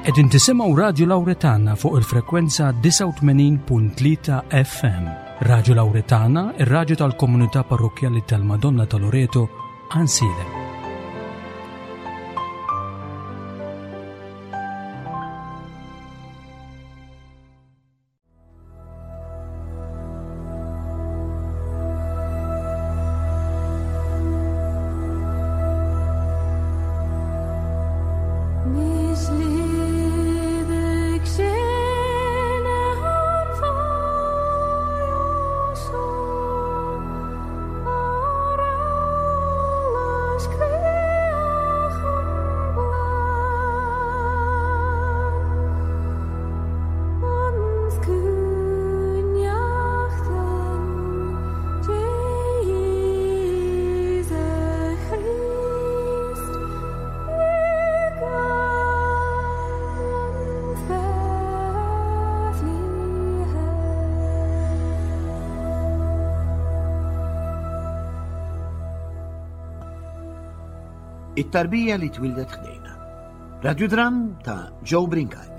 Qegħdin tisimgħu Radju Lawretana fuq il-frekwenza 89.3 FM. Radju Lawretana, ir-radju tal-komunità parrokkjali tal-Madonna ta' Loreto, Ansilem. It-tarbija li twildet ħdejna. Radiodram ta' Joe Brincat.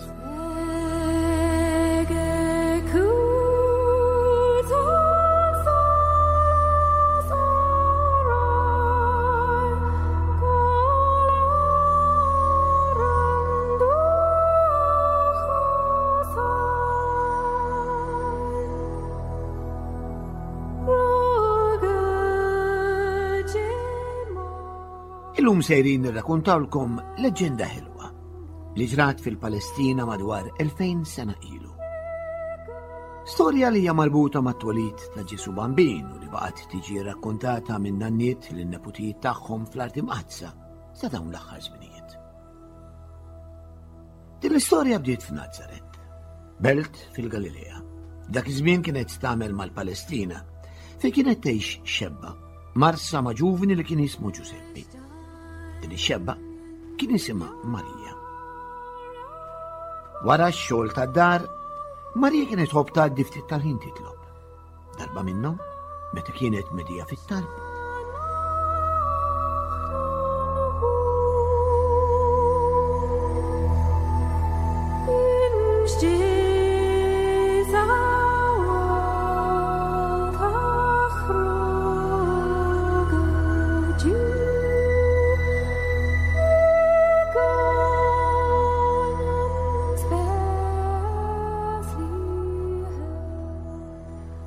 Illum sejrin nirrakuntawlkom leġġenda ħelwa li ġrat fil-Palestina madwar 2000 sena ilu. Storja li hija marbuta mat-twelid ta' Ġesu Bambin u li baqgħet tiġi rrakkontata minn nanniet lin neputijiet tagħhom fl-Art Imqaddsa sa dawn l-aħħar żminijiet. Din l-istorja bdiet f'Nazaret, belt fil-Galilea. Dak iż-żmien kienet tagħmel mal-Palestina, fejn kienet tgħix xebba, marsa ma' ġuvni li kien jismu Ġuseppi. Din ix-xebba kien jisimha Marija. Wara x-xogħol tad-dar, Marija kienet tħobb tgħaddi ftit tal-ħin titlob. Darba minnhom, meta kienet medija fit-talb,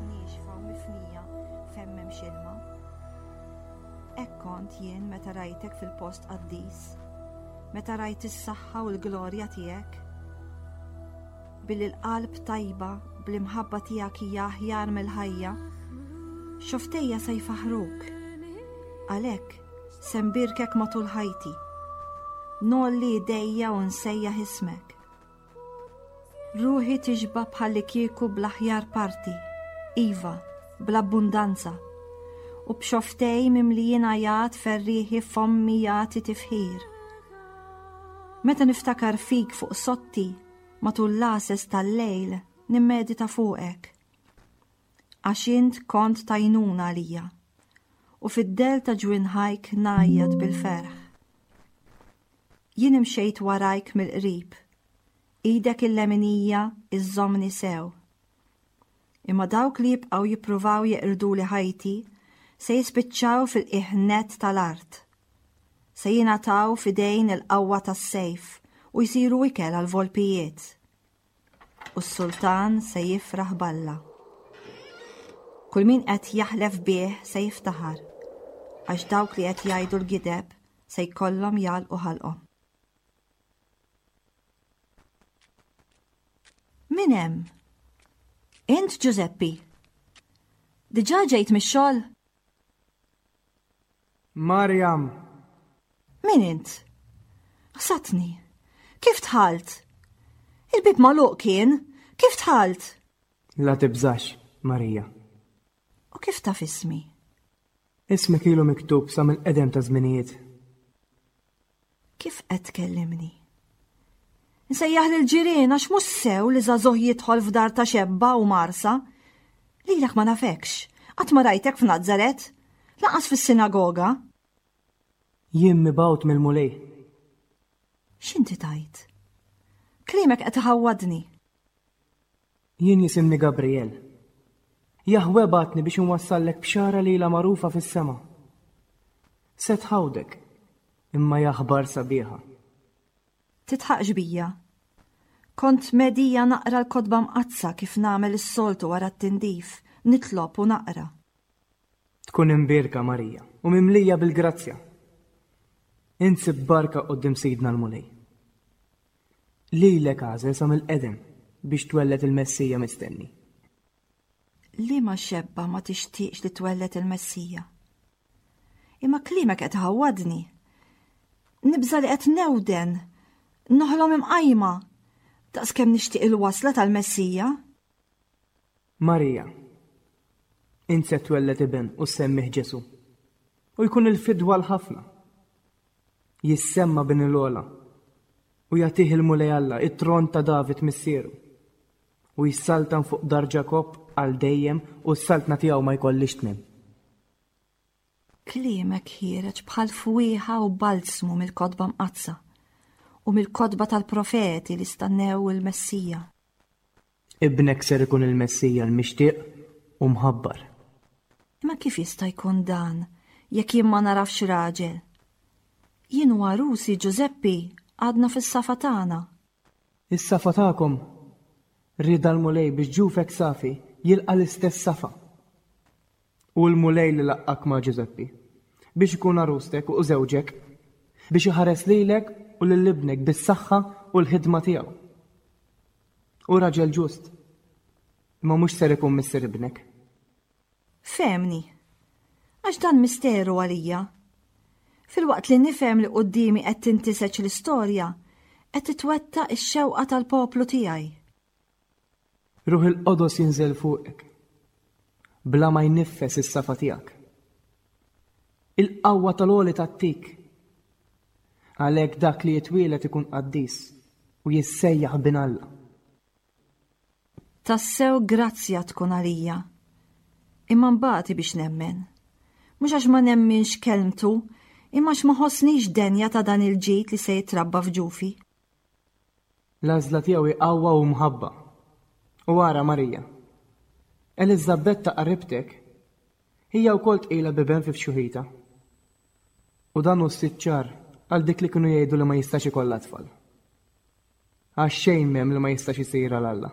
Niexfa u mifnija fejn m'hemmx ilma. Hekk kont jien meta rajtek fil-post qaddis, meta rajt is-saħħa u l-glorja tiegħek. Billi l-qalb tajba bl-imħabba tiegħek hija aħjar mill-ħajja, xoftejja se jfaħruk. Għalhekk se nbierkek matul ħajti. Ngħolli idejja u nsejjaħ ismek. Ruħi tixba' bħallikieku bl-aħjar parti, iva, bl-abbundanza. U b'xofftej mimlijin għajat ferrieħi fommi jagħti tifħir. Meta niftakar fik fuq sotti matul l-għases tal-lejl nimmedita fuqek. Għax int kont t'għajnuna għalija, u fid-dell ta' ġwinħajk ngħajjat bil-ferħ. Jien imxejt warajk mill-qrib, idek il-leminija iżżommni sew. Imma dawk li jibqgħu jippruvaw jeqirduli ħajti se jispiċċaw fil-qiegħ nett tal-art. Se jingħataw f'idejn il-qawwa tas-sejf u jsiru ikel għall-volpijiet. U s-sultan se jifraħ b'Alla. Kull min qed jaħlef bih se jiftaħar, għax dawk li qed jgħidu l-gideb se jkollhom jagħlqu ħalqhom. Min hemm? Int Ġużeppi? Diġà ġejt mix-xogħol? Marjam! Min int? Ħsatni. Kif dħalt? Il-bieb magħluq kien. Kif dħalt? La tibżax, Marija. U kif taf ismi? Ismek ilu miktub sa mill-qedem ta' żminijiet. Kif qed tkellimni? Nsejjaħ lill-ġirien għax mhux sew li żagħżugħ jidħol f'dar ta' xebba u marsa. Lilek ma nafekx, qatt ma rajtek f'Nazaret, lanqas fis-sinagoga. Jien mibgħut mill-Mulej. X'inti tgħid? Kliemek qed iħawwadni. Jien jisimni Gabriel. Jahwe bagħatni biex inwassallek bxara li ilha magħrufa fis-sema. Se tħawdek, imma hija aħbar sabiħa. Tidħaqx bija. Kont medija naqra l-Kotba Mqaddsa kif nagħmel is-soltu wara t-tindif, nitlob u naqra. Tkun imbierka Marija u mimlija bil-grazzja. Int sibt barka quddiem Sidna l-Mulej. Lilek għażel sa mill-qedem biex twelled il-Messija mistenni. Liema xebba ma tixtieqx li twelled il-Messija? Imma kliemek qed iħawwadni. Nibża' li qed newden, noħlom imqajma, daqskemm nixtieq il-wasla tal-Messija. Marija, int se twelled iben u ssemmih Ġesù, u jkun il-fidwa għal ħafna. Jissemma Bin il-Ogħla, u jagħtih il-Mulej Alla it-tron ta' David missieru, u jsaltan fuq dar Ġakobb għal dejjem u s-saltna tiegħu ma jkollhiex tmiem. Kliemek ħiereġ bħal fwieħa u balzmu mill-Kotba Mqaddsa u mill-kotba tal-profeti li stannew il-Messija. Ibnek ser ikun il-Messija l-mixtieq u mħabbar. Imma kif jista' jkun dan jekk jien ma nagħrafx raġel? Jien u għarusi Ġużeppi għadna fis-safa tagħna. Is-safa tagħkom? Rieda l-Mulej biex ġufek safi jilqa' l-istess safa. Hu l-Mulej li laqqgħek ma' Ġużeppi, biex ikun għarustek u żewġek, biex iħares lilek u lil ibnek bis-saħħa u l-ħidma tiegħu. Hu raġel ġust, imma mhux ser ikun missier ibnek. Fehmni, għax dan misteru għalija. Filwaqt li nifhem li quddiemi qed tintiseġ l-istorja, qed titwettaq ix-xewqa tal-poplu tiegħi. Ruħ il-Qodos jinżel fuqek, bla ma jniffes is-safa tiegħek. Il-qawwa tal-Għoli tgħattik. Għalhekk dak li jitwieled ikun qaddis u jissejjaħ Bin Alla. Tassew grazzja tkun għalija. Imma nbati biex nemmen. Mhux għax ma nemminx kelmtu, imma għax ma ħossnix denja ta' dan il-ġid li se jitrabba f'ġufi. L-għażla tiegħu hi qawwa u mħabba. U ara, Marija, Eliżabetta qaribtek, hija wkoll tqila b'iben fi fxuħitha. U dan hu s-sitt xahar għal dik li kienu jgħidu li ma jistax ikollha tfal. Għax xejn m'hemm li ma jistax isir għal Alla.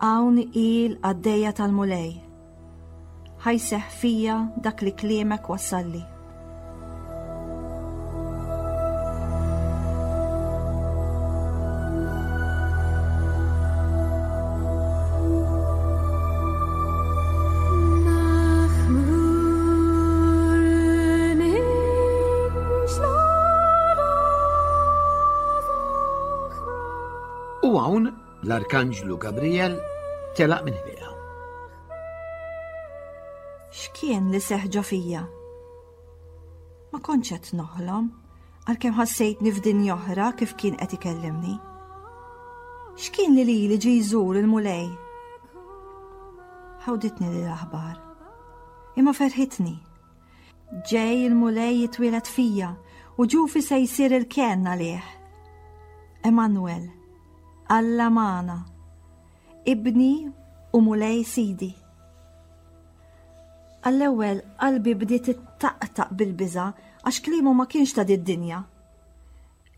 Hawn hi l-qaddejja tal-Mulej. Ħa jseħħ fija dak li kliemek wassalli. U hawn L-Arkanġlu Gabriel telaq minn ħdejha. X'kien li seħħ ġo fija? Ma kontx qed noħlom, għalkemm ħassejtni f'dinja oħra kif kien qed ikellimni. X'kien li lili ġie jżur il-Mulej? Ħawditni li l-aħbar. Imma ferħitni. Ġej il-Mulej jitwieled fija u ġufi se jsir il-kenn għalih. Emanuel, Alla magħna, Ibni u Mulej Sidi. Għall-ewwel qalbi bdiet ittaqtaq bil-biża' għax kliemu ma kienx ta' did-dinja.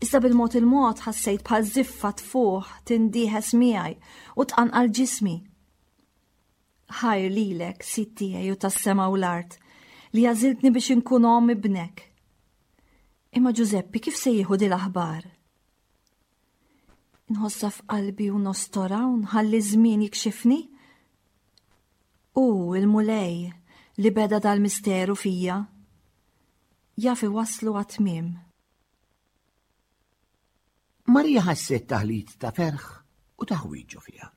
Iżda bil-mod il-mod ħassejt bħal żiffa tfuħ tindieħes miegħi u tqanqal ġismi. Ħajr lilek, Sid tiegħi u tas-sema u l-art, li għażiltni biex inkun omm ibnek. Imma Ġużeppi kif se jieħu din l-aħbar? Nħossha f'qalbi u nostora u nħalli żmien jikxifni? U il-Mulej li beda dal-misteru fija, jaf iwasslu għat-tmiem. Marija ħasset taħlit ta' ferħ u ta' ħwieġ ġo fiha.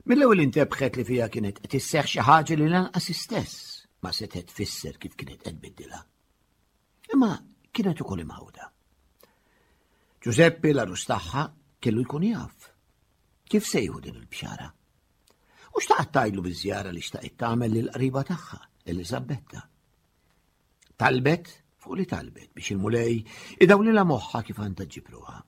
Mill-ewwel intebħet li fiha kienet qed isseħħ xi ħaġa li lanqas istess ma setgħet tfisser kif kienet qed tbiddilha. Imma kienet ukoll imħawda. Ġużeppi l-għarus tagħha kellu jkun jaf. Kif se jieħu din il-bxara? U xtaqat tgħidlu biż-żjara li xtaqet tagħmel lill-qriba tagħha, Eliżabetta. Talbet fuq li talbet biex il-Mulej idawlilha moħħha kif għandha ġġib ruħha.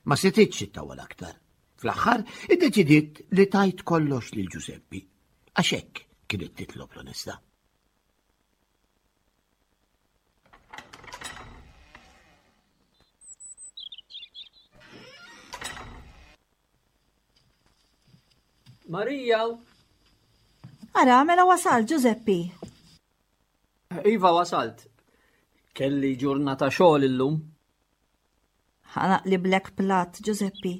Ma setgħetx ittawwal aktar. Fl-aħħar iddeċidiet li tgħid kollox lil Ġużeppi, għax hekk kienet titlob l-onestà. Marija! Ara, mela wasal, Giuseppi. Iva wasalt. Kelli ġurnata xogħol illum. Ħanaqliblek platt, Ġużeppi.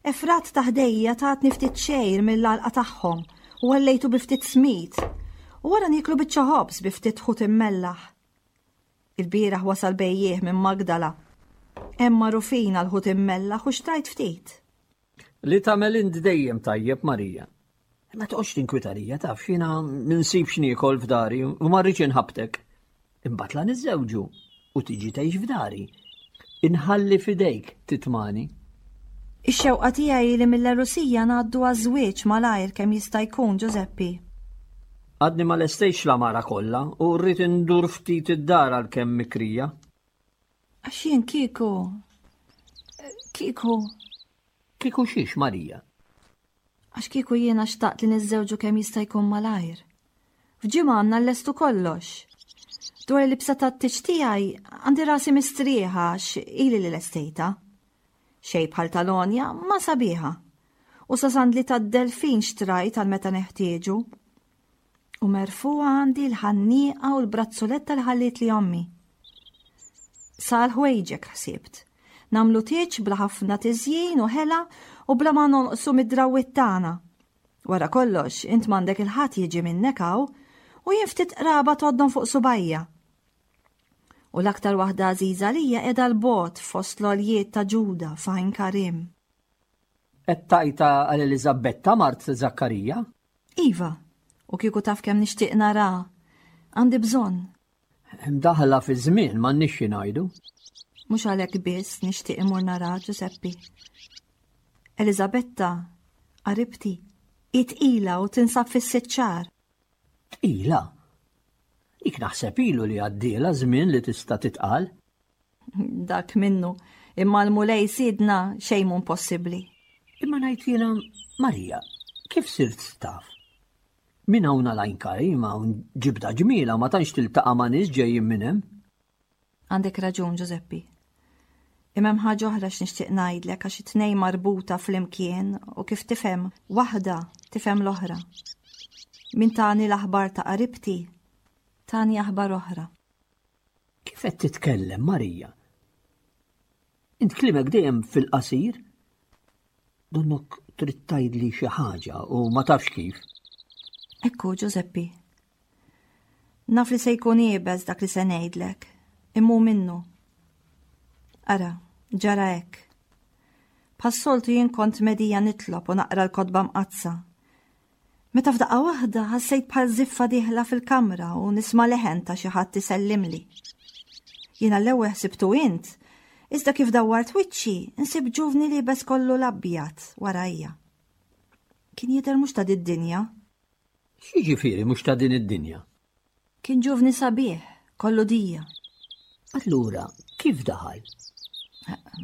Efrat ta' ħdejja tatni ftit xejr mill-għalqa tagħhom u għallejtu bi ftit smid. U wara nieklu biċċa ħobż bi ftit ħut immellaħ. Il-bieraħ wasal bejjiegħ minn Magdala. Hemm magħrufin għal ħut immellaħ u xtrajt ftit. Li tagħmel int dejjem tajjeb, Marija. Ma toqgħodx tinkwita lija, taf, jiena minsib x'niekol f'dari u ma rridx inħabtek. Imbagħad la niżżewġu u tiġi tgħix f'dari. Inħalli f'idejk titmani. Ix-xewqa tiegħi li mill-għerusija ngħaddu għaż-żwieġ malajr kemm jista' jkun, Ġużeppi. Għadni ma lestejtx l-għamara kollha u rrid indur ftit id-dar għalkemm mikrija. Għax jien kieku. Kieku. Kieku xiex, Marija? Għax kieku jiena xtaqt li niżżewġu kemm jista' jkun malajr. F'ġimgħa għandna llestu kollox. Dwar il-libsa tat-tieġ tiegħi għandi rasi mistrieħa għax ili li lestejta. Xejn bħal tal-għonja ma sabiħa. U sa sandli tad-delfin xtrajt għal meta neħtieġu. U merfugħa għandi l-ħannieqa u l-brazzuletta li ħallietli ommi. Sa għal ħwejġek ħsibt. Nagħmlu tieġ bla ħafna tiżjin u ħela u bla ma nonqsu mid-drawwiet tagħna. Wara kollox, int m'għandek il-ħadd jiġi minnek hawn u jien ftit qraba tgħoddhom fuq subajja. U l-aktar waħda għażiża għalija qiegħda 'l bogħod fost l-għoljiet ta' Ġuda f'Għajn Karim. Qed tgħajta għal Eliżabetta mart Żakkarija? Iva, u kieku taf kemm nixtieq nara. Għandi bżonn. Daħla fi żmien m'għandniex xi ngħidu. Mhux għalhekk biss nixtieq imur nara Ġuseppi. Elizabetta, qaribti, hi tqila u tinsab fis-sitt xahar. Tqila? Dik naħseb ilu li għaddiela żmien li tista' titqal. Dak minnu, imma l-Mulej sidna xejn mhu impossibbli. Imma ngħid jiena, Marija, kif sirt taf? Minn hawn għal Għajn Karim hawn ġibda ġmiela ma tantx tiltaqa' ma' nies ġejjin minn hemm. Għandek raġun, Ġużeppi. Imma hemm ħaġa oħra x'nixtieq ngħidlek għax it-tnejn marbuta flimkien u kif tifhem waħda tifhem l-oħra. Min tani l-aħbar ta' qaribti, tani aħbar oħra. Kif qed titkellem, Marija? Int kliemek dejjem fil-qasir. Donnok trid tgħidli xi ħaġa u ma tafx kif. Ekku, Ġużeppi. Naf li se jkun iebes dak li se ngħidlek, imma hu minnu. Ara, ġara hekk. Bħas-soltu jien kont medija nitlob u naqra l-kotba mqaddsa. Meta f'daqqa waħda ħassejt bħal żiffa dieħla fil-kamra u nisma' leħen ta' xi ħadd isellimli. Jiena l-ewwel ħsibtu int, iżda kif dawwart wiċċi, insib ġuvni liebes kollu l-abjad warajja. Kien jidher mhux ta' did-dinja. X'jiġifieri mhux ta' din id-dinja? Kien ġuvni sabiħ, kollu dija. Allura, kif daħal?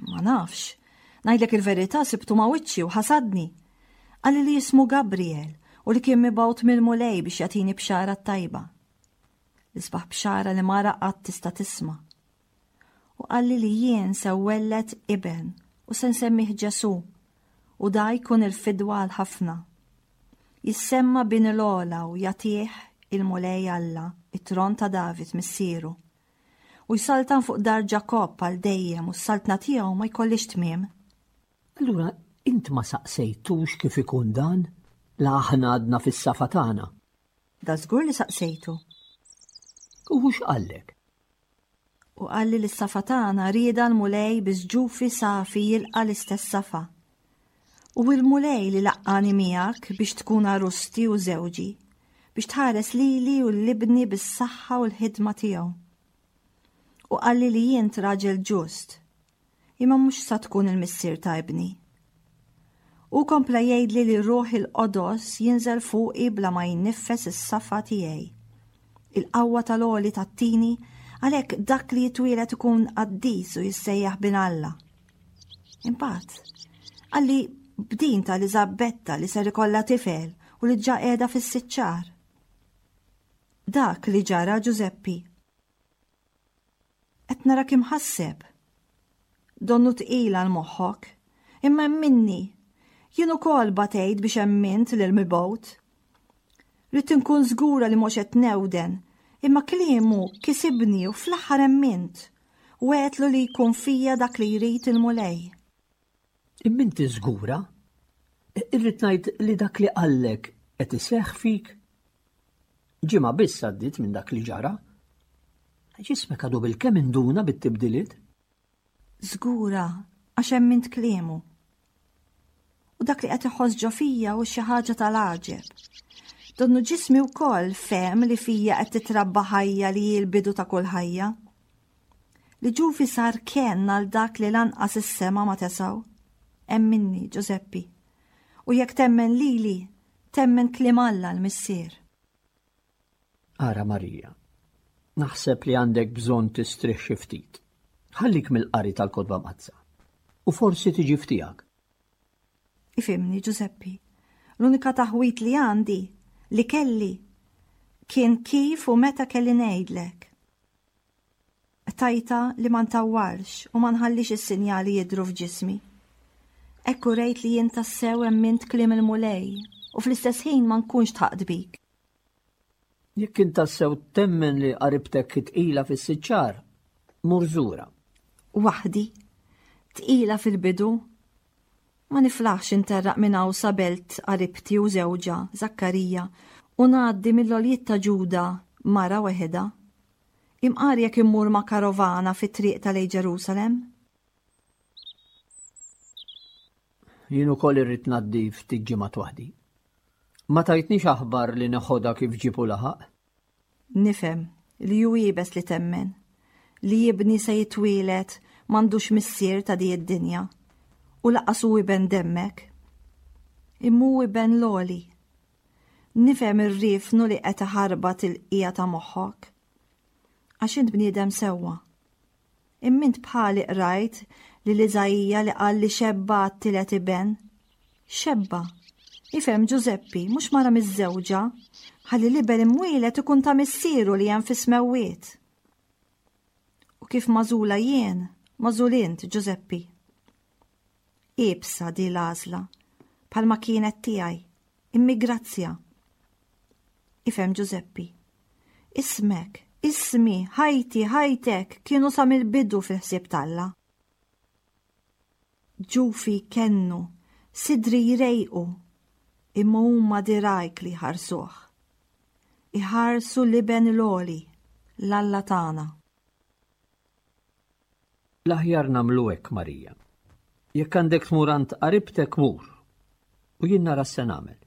Ma nafx. Ngħidlek il-verità sibtu ma' wiċċi u ħasadni. Qalli li jismu Gabriel u li kien mibgħut mill-Mulej biex jagħtini bxara tajba. L-isbaħ bxara li mara qatt tista' tisma'. U qalli li jien se welled iben u se nsemmih Ġesù u da jkun il-fidwa għal ħafna. Jissemma bin il-ogħla u jagħtih il-Mulej Alla it-tron ta' David missieru. U jsaltan fuq dar Ġakobb għal dejjem u s-saltna tiegħu ma jkollhiex tmiem. Allura int ma saqsejtux kif ikun dan, la aħna għadna fis-safa tagħna? Da żgur li saqsejtu. U hu x'qallek? U qalli li s-safa tagħna rieda l-Mulej biex ġufi safi jilqa' l-istess safa. U l-Mulej li laqqagħni miegħek biex tkun għarusti u żewġi, biex tħares lili u 'l ibni bis-saħħa u l-ħidma tiegħu. U qalli li int raġel ġust, imma mhux sa tkun il-missier ta' ibni. Hu kompla jgħidli li Ruħ il-Qodos jinżel fuqi bla ma jniffes is-safa tiegħi. Il-qawwa tal-Għoli tagħtini, għalhekk dak li jitwieled ikun qaddis u jissejjaħ Bin Alla. Imbagħad, qalli b'din ta' Eliżabetta li ser ikollha tifel u li ġa qiegħda fis-sitt xahar. Dak li ġara Ġużeppi. Qed narak imħasseb. Donnu tqil għal moħħok. Imma emminni, jien ukoll batejt biex emmint lil mibgħut. Ridt inkun żgura li mhux qed newden, imma kliemu kisibni u fl-aħħar emmint u għedtlu li jkun fija dak li jrid il-Mulej. Imma inti żgura? Irrid ngħid li dak li qallek qed iseħħ fik? Ġimgħa biss għaddiet minn dak li ġara. Ġismek għadu bilkemm induna bit-tibdiliet. Żgura għax emmint kliemu. U dak li qed iħoss ġo fija hu xi ħaġa tal-għaġeb. Donnu ġismi wkoll fehem li fija qed titrabba ħajja li hi l-bidu ta' kull ħajja. Li ġufi sar kenn għal dak li lanqas is-sema ma tesgħu. Emminni, Ġużeppi. U jekk temmen lili, temmen kliem Alla l-Missier. Ara Marija, naħseb li għandek bżonn tistrieħ xi ftit. Ħallik mill-qari tal-Kotba Mqaddsa. U forsi tiġi f'tiegħek. Ifhimni, Ġużeppi, l-unika taħwid li għandi, li kelli, kien kif u meta kelli ngħidlek. Qtajtha li ma ntawwarx u ma nħallix is-sinjali jidhru f'ġismi. Hekk urejt li jien tassew emmint kliem il-Mulej u fl-istess ħin ma nkunx dħaqt bik. Jekk int tassew temmen li qaribtek hi tqila fis-sitt xahar, mur żurha. Waħdi? Tqila fil-bidu? Ma niflaħx interraq minn hawn sa belt qaribti u żewġha, Żakkarija, u ngħaddi mill-għoljiet ta' Ġuda mara weħidha. Imqar jekk immur ma' karovana fit-triq ta' lejn Ġerusalemm. Jien ukoll irrid ngħaddi ftit ġimgħat waħdi. Ma tajtnix aħbar li neħodha kif ġieb u laħaq? Nifhem li hu iebes li temmen li ibni se jitwieled m'għandux missier ta' di id-dinja u lanqas hu iben demmek. Imma hu iben l-Għoli Nifhem ir-riefnu li qed iħarbat il-qiegħa ta' moħħok. Għax int bniedem sewwa. Imma int bħali qrajt lil Iżaija li qal li xebba għat-tielet iben. Xebba. Ifhem Ġużeppi, mhux mara miżżewġa, ħalli l-iben imwieled ikun ta' missieru li hemm fis-smewwiet. U kif magħżula jien, magħżul int, Ġużeppi. Iebsa di l-għażla, bħalma kienet tiegħi, immi grazzja. Ifhem Ġużeppi. Ismek, ismi, ħajti, ħajtek kienu sa mill-bidu fil-ħsieb t'Alla. Ġufi jkennu, sidri jrejqu, imma huma dirgħajk li jħarsuh. Iħarsu l-Iben l-Għoli, l-Alla tagħna. L-aħjar nagħmlu hekk, Marija. Jekk għandek tmur għand qaribtek mur. U jien nara x'se nagħmel.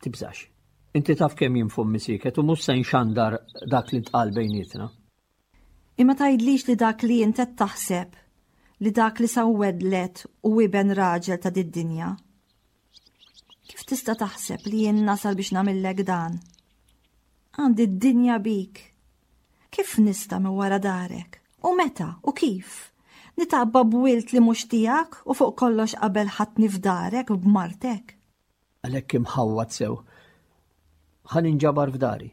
Tibżax. Inti taf kemm jien fommi sieket u mhux se nxandar dak li ntqal bejnietna. Imma tgħidlix li dak li int qed taħseb li dak li sawwedlet hu iben raġel ta' did-dinja. Kif tista' taħseb li jien nasal biex nagħmillek dan? Għandi d-dinja bik. Kif nista' minn wara darek? U meta? U kif? Nitgħabba b'wild li mhux tiegħek u fuq kollox qabel ħadtni f'darek b'martek. Għalhekk imħawwad sew. Ħa ninġabar f'dari.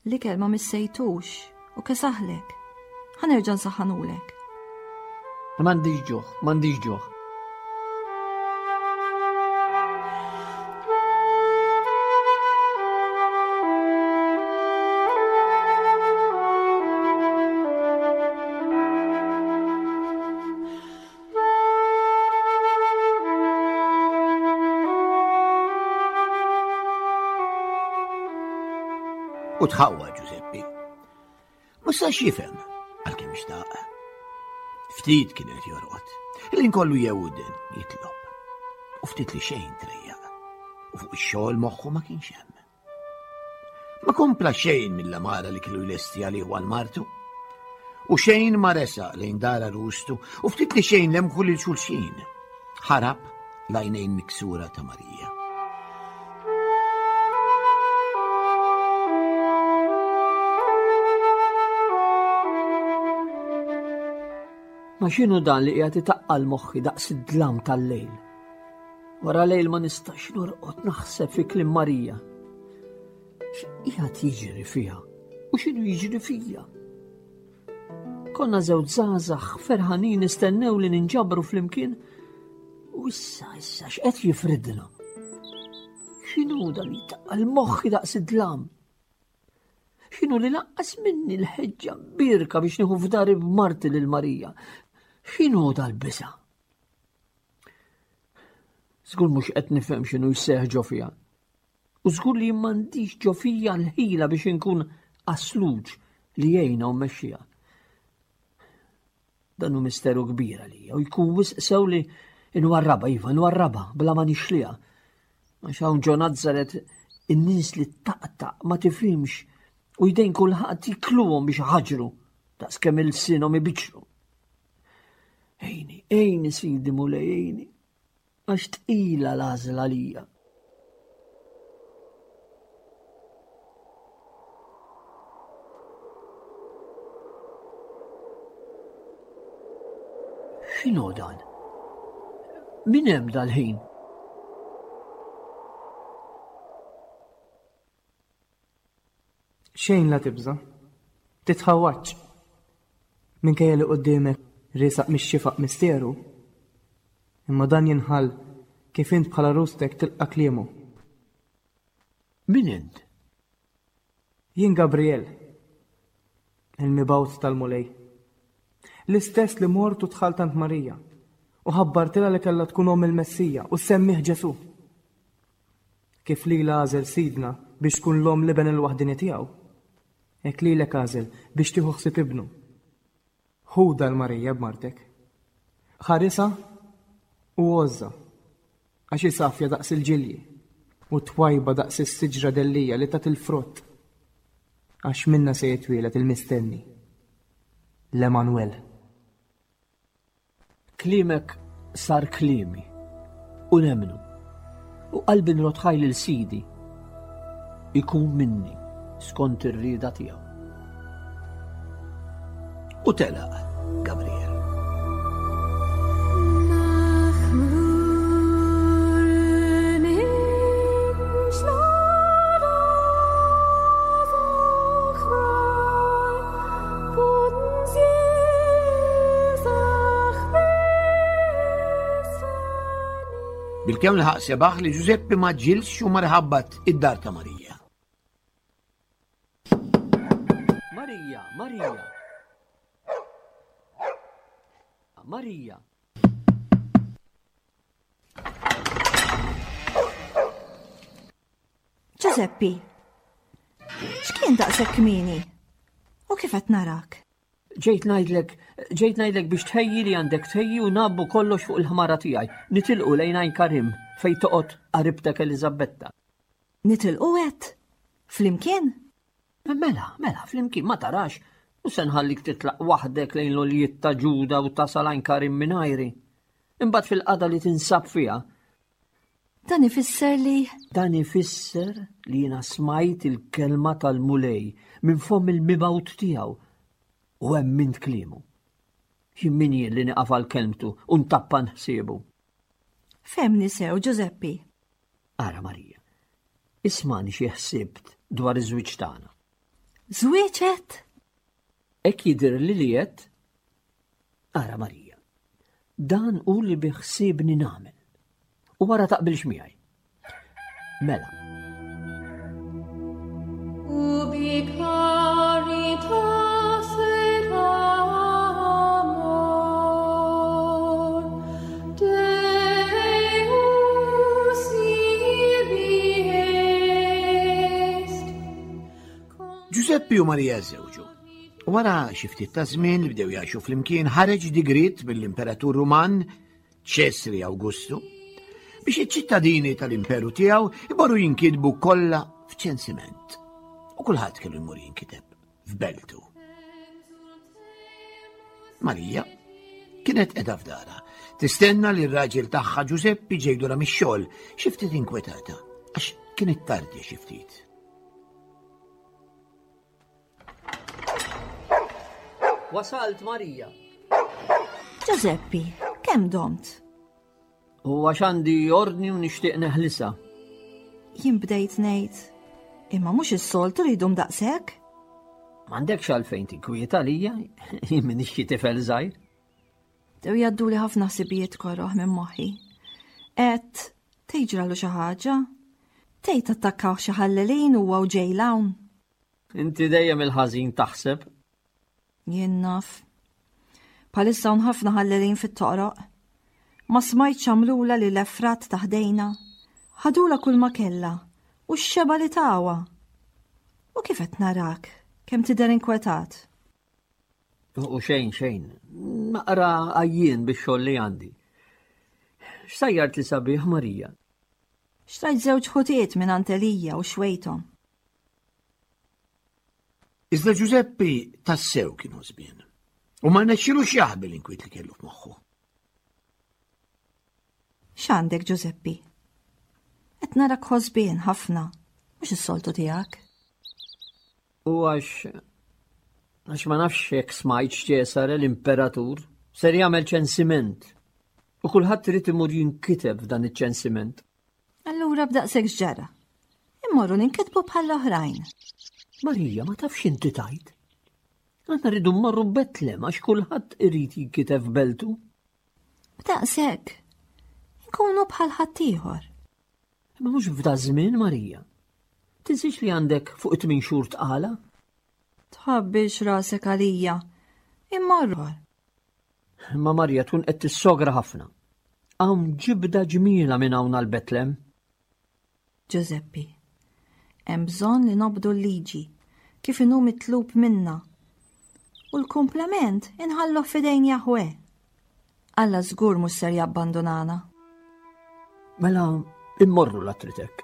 L-ikel ma missejtux u kesaħlek. Ħa nerġa' nsaħħanulek. M'għandix ġuħ, m'għandix ġuħ. U tħawwa Ġużeppi. Ma sax jifhem għalkemm xtaq. Ftit kien qed jorqod. Il-ħin kollu jewden jitlob. U ftit li xejn trejjaq. U fuq ix-xogħol moħħu ma kienx hemm. Ma kompla xejn mill-amara li kienu jlesti għalih għal martu. U xejn ma resaq lejn dara rustu u ftit li xejn lemħu lil xulxin. Ħarab l-għajnejn miksura ta' Marija. Ma x'inhu dan li qiegħed itaqqal moħħi daqs id-dlam tal-lejl? Wara lejl ma nistax norqod naħseb fi kliem Marija. X'qiegħed jiġri fiha u x'inhu jiġri fija? Konna żewġ żgħażagħ ferħanin nistennew li ninġabru flimkien u issa issa x'qed jifridna? X'inhu dan li taqqal moħħi daqs id-dlam? X'inhu li laqqas minni l-ħeġġa birka biex nieħu f'dari b'marti lil Marija? X'inhu dal-biża'? Żgur mhux qed nifhem x'inhu jseħħ ġo fija. U żgur li m'għandix ġo fija l-ħila biex inkun asluġ li jgħinha u mmexxiha. Dan hu misteru kbir għalija u jkun wisq sew li nwarraba, iva, nwarraba bla ma nixliha. Għax hawn ġo Nazzaret in-nies li taqtaq ma tifhimx u jdejn kulħadd jikluhom biex ħaġru daqskemm il-sinhom ibiċru. Ejni, ejni sidi mulej, ejni. Għax tqila l-għażla għalija. X'inhu dan? Min hemm dal-ħin? Xejn la tibża'. Titħawwadx. Minkejja li quddiemek riesaq mix-xifaq misteru, imma dan jinħall kif int bħala għarustek tilqa' kliemu. Min int? Jien Gabriel, il-mibgħut tal-Mulej. L-istess li mort u dħalt għand Marija u ħabbartilha li kellha tkun omm il-Messija u ssemmih Ġesù. Kif lilha għażel Sidna biex tkun l-omm l-Iben il-waħdieni tiegħu, hekk lilek għażel biex tieħu ħsieb ibnu. Ħudha 'l Marija b'martek. Ħarisha u għożżha, għax hi safja daqs il-ġilji u twajba daqs is-siġra dellija li tagħti l-frott. Għax minnha se jitwieled il-mistenni, l-Emmanuel. Kliemek sar kliemi u nemmnu u qalbi nrodd ħaj lil Sidi ikun minni skont ir-rieda tiegħu. U telaq Gabriel. Bilkemm laħaq sebaħ li Ġużeppi ma ġilx u mar ħabbat id-dar ta' Marija. Marija, Marija. Marija. Ġużeppi, x'kien daqshekk kmieni? U kif qed narak? Ġejt ngħidlek, ġejt ngħidlek biex tħejji li għandek tħejji u nabbu kollox fuq il-ħmara tiegħi. Nitilqu lejn Għajn Karim fejn toqgħod qaribtek Eliżabetta. Nitilqu għedt? Flimkien? Mela, mela, flimkien ma tarax. U se nħallik titlaq waħdek lejn l-oljiet ta' Ġuda u tasal Għajn Karim mingħajri. Imbagħad fil-qada li tinsab fiha, Dan ifisser li. Dan ifisser li jiena smajt il-kelma tal-Mulej minn fomm il-mibgħut tiegħu u emmint kliemu. Jien min jien li nieqaf għal kelmtu u ntappan ħsiebu? Fehmni sew, Ġużeppi. Ara Marija, ismani xi ħsibt dwar iż-żwieġ tagħna. Żwieġ għedt? Hekk jidhirli li għedt. Ara Marija, dan hu li bi ħsiebni nagħmel. U wara taqbilx miegħi. Mela. Ubi caritas et amor Deus ibi est. Ġużeppi u Marija żewġu. Wara xi ftit ta' żmien li bdew jgħixu flimkien ħareġ digriet mill-Imperatur Ruman Ċesri Awgustu biex iċ-ċittadini tal-imperu tiegħu imorru jinkitbu kollha f'ċensiment. U kulħadd kellu jmur jinkiteb f'beltu. Marija kienet qiegħda f'dara, tistenna li r-raġel tagħha Ġużeppi ġej lura mix-xogħol, xi ftit inkwetata għax kienet tardja xi ftit. Wasalt Marija. Ġużeppi, kemm domt? U għax għandi ordni u nixtieq neħlisa. Jien bdejt ngħid, imma mhux is-soltu li jdum daqshekk? M'għandekx għalfejn tinkwieta lija, jien m'iniex xi tifel żgħir. Bdew jgħadduli ħafna ħsibijiet koroh minn moħħi. Għedt, tgħid xi ħaġa? Tgħid attakkaw xi ħallelin huwa u ġej hawn. Inti dejjem il-ħażin taħseb. Jien naf. Bħalissa hawn ħafna ħallelin fit-toqroq. Ma smajtx għamlula li l-efrat ta' ħdejna. Ħadula kull ma kellha u x-xeba li tawa. U kif qed narak, kemm tidher inkwetat. U xejn, xejn. Naqra għajjien bix-xogħol li għandi. X'sajjart li sabiħ Marija? Xtrajt żewġ ħutiet minn Elija u xwejthom. Iżda Ġużeppi tassew kien ħosbien. U ma rnexxilux jaħbi l-inkwiet li kellu f'moħħu. X'għandek Ġużeppi? Qed narak ħosbien ħafna, mhux is-soltu tiegħek. U għax għax ma nafx jekk smajt Ċesare l-imperatur ser jagħmel ċensiment. U kulħadd irid imur jinkiteb f'dan iċ-ċensiment. Allura b'daqshekk x'ġara? Immorru ninkitbu bħall-oħrajn. Marija, ma tafx inti tajt. Aħna rridu mmorru Betlem għax kulħadd irid jinkiteb f'beltu. B'daqshekk. Inkunu bħal ħaddieħor. Imma mhux f'da żmien, Marija. Tinsiex li għandek fuq it-tmien xhur tqala? Tħabbix rasek għalija. Immorru. Imma Marija tkun qed tissogra ħafna. Hawn ġibda ġmiela minn hawn għal Betlem. Ġużeppi, hemm bżonn li nobdu l-liġi kif inhu mitlub minna. U l-kumplament inħalluh f'idejn Jaħwe. Alla żgur mhux ser jabbandunana. Mela immorru la tritek.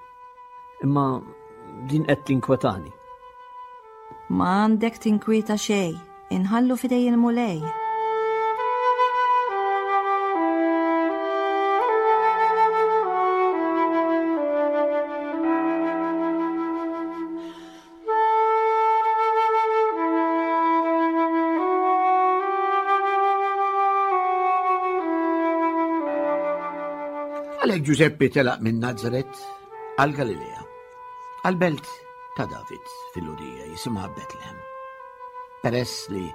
Imma din qed tinkwetani. Ma għandek tinkwieta xejn, inħallu fidej il-Mulej. Għalhekk Ġużeppi telaq minn Nazaret għal Galilea, għal belt ta' David fil-Lurija jisimha Betlehem. Peress li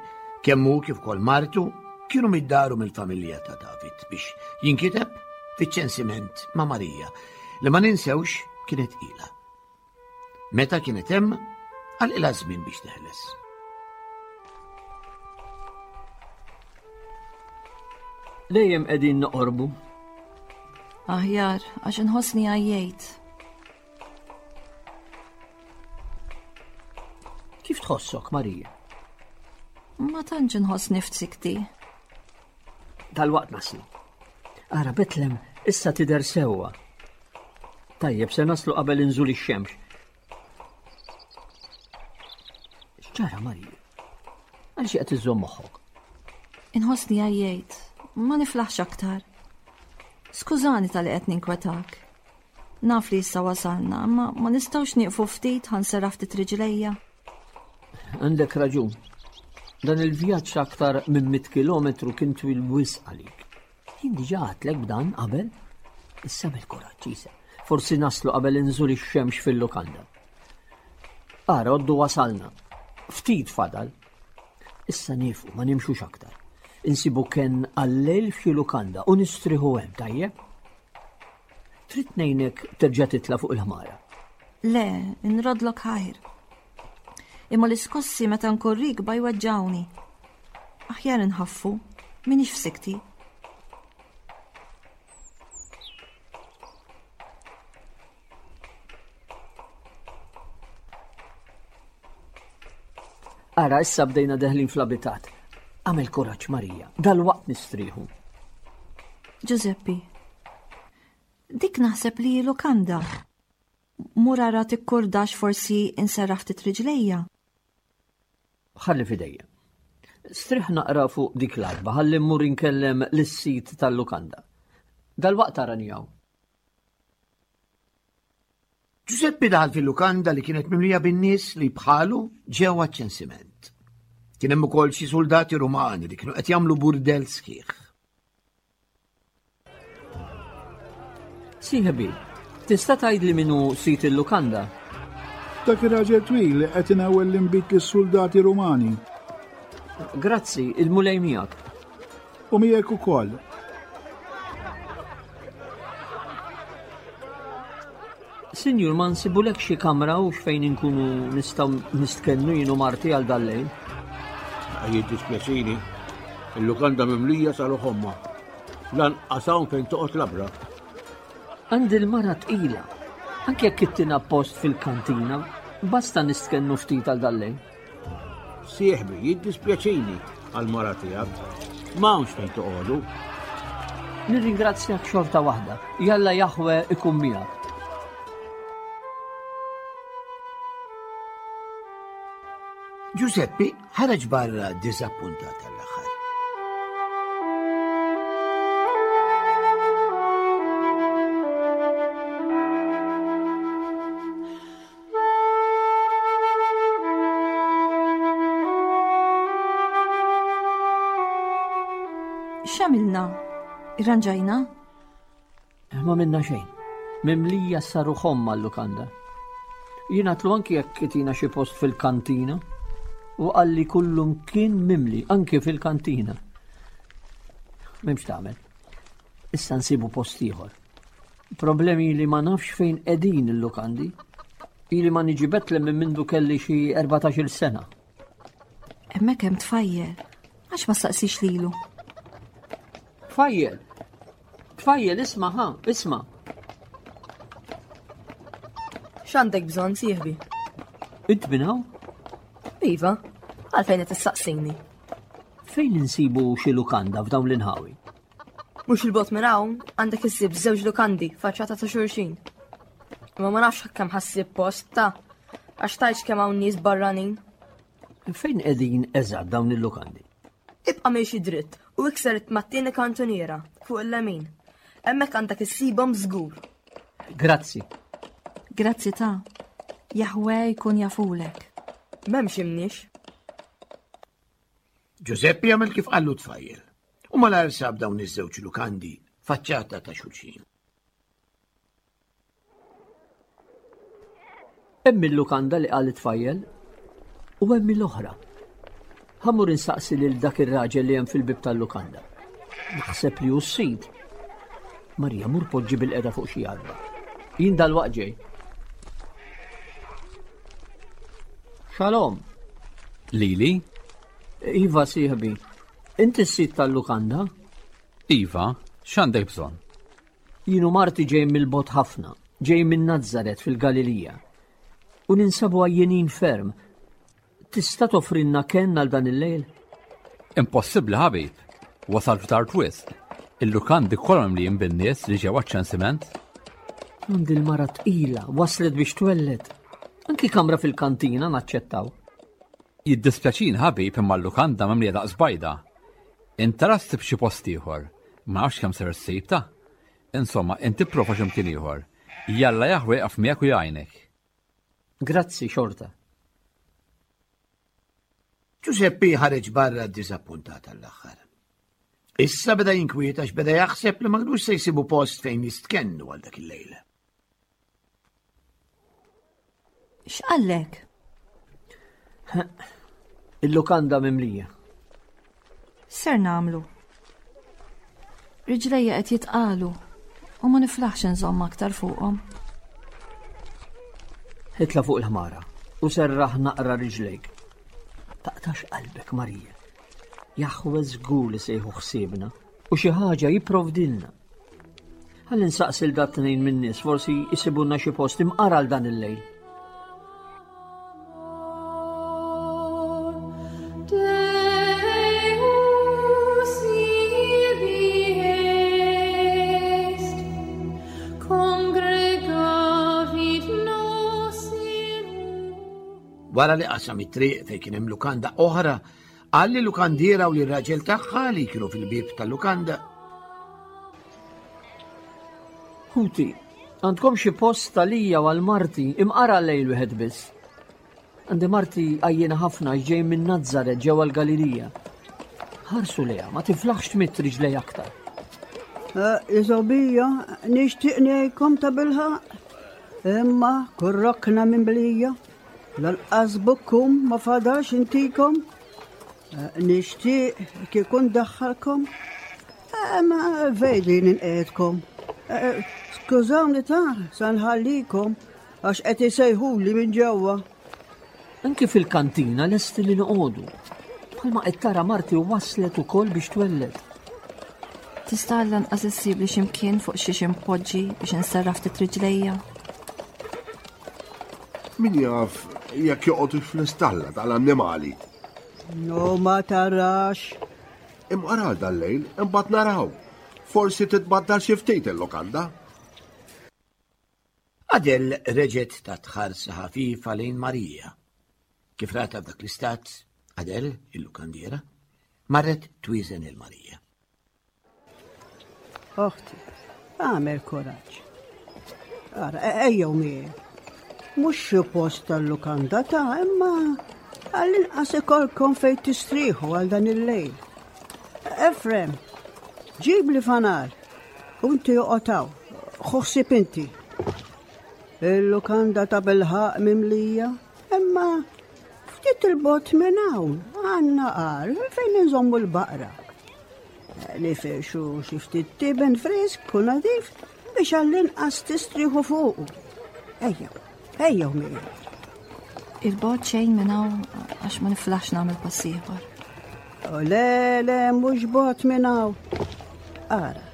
kemm hu kif ukoll martu kienu mid-daru mill-familja ta' David biex jinkiteb fiċ-ċensiment ma' Marija li ma ninsewx kienet ila. Meta kienet hemm, għalqilha żmien biex teħles. Dejjem qegħdin noqorbu. Aħjar, għax inħossni għajjejt. Kif tħossok, Marija? Ma tantx inħossni f'sikti. Dalwaqt naslu. Ara Betlem issa tidher sewwa. Tajjeb, se naslu qabel inżul ix-xemx. X'ġara Marija? Għal xi qed iżżomm moħħok? Inħossni għajjejt, ma niflaħx aktar. Skużani tal-li qed ninkwetak. Naf li issa wasalna, ma ma nistgħux nieqfu ftit ħansera ftit riġlejja. Għandek raġun. Dan il-vjaġġ aktar minn 100 kilometru kien twil wisq għalik. Jien diġà għadtlek b'dan qabel. Issa bil-kuraġġ isa. Forsi naslu qabel inżul ix-xemx fil-lukanda. Ara, għoddu wasalna. Ftit fadal. Issa niefu, ma nimxux aktar. Insibu ken għal-lejl f'xi lukanda u nistriħu hemm, tajjeb? Trid ngħinek terġa' titla' fuq il-ħmara? Le, nrodlok ħajr. Imma l-iskossi meta nkun rikba jweġġawni. Aħjar inħaffu, minix f'sikti. Ara, issa bdejna deħlin fl-abitat. Għamel kuraġġ Marija, dal-waqt nistrieħu. Giuseppe, dik naħseb li lukanda. Mur ara tikkurdax forsi inserraħ ftit riġlejja. Ħalli fidejja. Strieħ naqra fuq dik l-arba, ħalli mmur inkellem lis-sid tal-lukanda. Dal-waqt arani hawn. Ġużeppi daħal fil-lukanda li kienet mimlija bin-nies li bħalu ġew għaċ-ċensiment. Kien hemm ukoll xi soldati Rumani li kienu qed jagħmlu burdell sħiħ. Sieħbi, tista' tgħidli min hu sid il-lukanda? Dak ir-raġel twil li qed inewwel l-inbid lis-suldati Rumani. Grazzi, il-Mulej miegħek. U miegħek ukoll. Sinjur, ma nsibulek xi kamra u x'fejn inkunu nistgħu nistkennu jien u marti għal dal-lejl? Jiddispjaċini, il-lukanda mimlija sal-oħomma. Lanqas hawn fejn toqgħod labra. Għandi l-mara tqila. Anke jekk ittina post fil-kantina, basta nistkennu ftit għal dal-lejl. Sieħbi, jiddispjaċini għall-mara tiegħek. M'hawnx fejn toqogħdu. Nirringrazzjak xorta waħda. Jalla Jaħwe ikun miegħek. Giuseppi ħareġ barra diżappuntat għall-aħħar. X'għamilna? Irranġajna? Ma minna xejn. Mimlija saru ħomma l-lukanda. Jien għatlu anki jekk itina xi post fil-kantina u qalli kullum kien mimli anki fil-kantina. M'hemmx tagħmel. Issa nsibu post ieħor. Problemi li ma nafx fejn qegħdin il-lukandi. Ili ma niġi Betlem minn mindu kelli xi 14-il sena. Hemmhekk hemm tfajjel. Għax ma staqsix lilu. Tfajjel! Tfajjel, isma' ħa, isma'. X'għandek bżonn sieħbi? Int minn hawn? Iva, għalfejn qed issaqsini. Fejn insibu xi lukanda f'dawn l-inħawi? Mhux il-bot minn hawn għandek issib żewġ lukandi faċċata ta' xulxin. Imma ma nafx kemm ħassib post ta' għax tajx kemm hawn nies barranin. Fejn qegħdin eżatt dawn il-lukandi? Ibqa' miexi dritt u ikser mat-tieni kantuniera fuq il-lemin. Hemmhekk għandek issibhom żgur. Grazzi. Grazzi ta' Jahwe jkun jafulek. M'hemmx imniex. Ġużeppi għamel kif qallu tfajjel u malajr sab dawn iż-żewġ lukandi faċċata ta' xulxin. Hemm il-lukanda li qal it-tfajjel u hemm l-oħra. Ħamur insaqsi lil dak ir-raġel li hemm fil-bib tal-lukanda. Naħseb li hu s-sid. Marija mur poġġi bil-qeda fuq xi għadba. Jien dal-waqt ġej. Shalom. Lili? Iva sieħbi. Inti s-sid tal-lukanda? Iva, x'għandek bżonn? Jien u marti ġej mill-bogħod ħafna, ġej minn Nazzaret fil-Galilija. U ninsabu għajjenin ferm. Tista' toffrilna kenn għal dan il-lejl? Impossibbli ħabib. Wasalt tard wisq. Il-lukandi kollha mimlijin bin-nies li ġew għaċ-ċensiment. Għandi l-mara tqila, waslet biex twelled. Anki kamra fil-kantina naċċettaw. Jiddispjaċini ħabib imma l-lukanda mimlija daqs bajda. Inta ssib xi post ieħor. Ma nafx kemm ser issib ta'. Insomma, inti prova x'imkien ieħor. Jalla Jaħwe jaqaf miegħek u jgħinek. Grazzi xorta. Ġużeppi ħareġ barra ddiżappuntat għall-aħħar. Issa beda jinkwieta għax beda jaħseb li ma kinux se jsibu post fejn jistkennu għal dak il-lejl. X'qallek? Il-lukanda mimlija. Ser namlu. Riġlejja qed jitqalu u ma niflaħx inżomm aktar fuqhom. Itla' fuq il-ħmara u serraħ naqra riġlejk. Taqtax qalbek, Marija. Jaħwe żgur li se jieħu ħsiebna u xi ħaġa jipprovdilna. Ħalli nsaqsi l dat tnejn min-nies forsi jsibulna xi post imqar għal dan il-lejl. Wara li qasam it-triq fejn kien hemm lukanda oħra, qal li lukandiera u lir-raġel tagħha li kienu fil-bieb tal-lukanda. Ħuti, għandkom xi post għalija u għal marti imqara lejl wieħed biss. Għandi marti għajjena ħafna ġej minn Nazzaret ġewwa l-Galilija. Ħarsu lejha, ma tiflaħx tmitt riġlej aktar. Eh, Iżobija, nixtieq ngħidkom ta' bilħaq. Imma kull rokna minn blija, lanqas bukkum ma fadax intikom. Eh, nixtieq kieku ndaħħalkom. Eh, ma vejdi ninqedkom. Skużawni ta' sa nħallikom għax qed isejħuli minn ġewwa. Anki fil-kantina lesti li noqogħdu. Bħalma qed tara marti waslet ukoll biex twelled. Tista' lanqas issib li x'imkien fuq xiex impoġġi biex inserraħ ftit riġlejja. Min jaf jekk joqgħodux fl-istalla tal-annimali. No ma tarax. Imqar għal dal-lejl, imbagħad naraw. Forsi titbaddal xi ftit il-lukanda. Adel reġgħet tat ħarsa ħafifa lejn Marija. Kif ratha f'dak l-istat, Adel, il-lukandiera, marret twieżen lil Marija. Oħti, għamel kuraġġ. Ara, e- ejjew miegħi. Mhux xi post tal-lukanda ta' imma għall-inqas ikolkom fejn tistrieħu għal dan il-lejl. Efrem, ġib li fanal. U inti oqgħod hawn, ħu ħsieb inti. Il-lukanda ta' bilħaq mimlija, imma ftit il-bot minn hawn għandna qar fejn inżommu l-baqra. Nifirxu xi ftit tiben frisk u nadif biex għall-inqas tistrieħu fuqu. Ejjew, ejjew miegħi. Il-bot xejn minn hawn għax ma niflaħx nagħmel pass ieħor. O le, le, mhux bot minn hawn. Ara,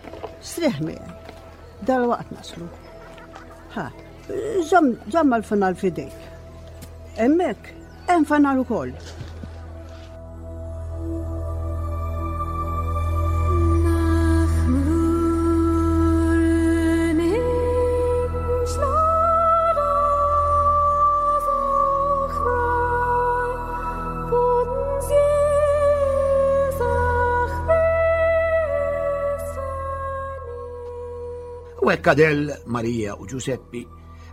strieħ miegħi. Dal-waqt naslu. Ha, żomm l-fanal fidejk. Hemmhekk hemm fanal ukoll. U hekk Adel, Marija u Ġuseppi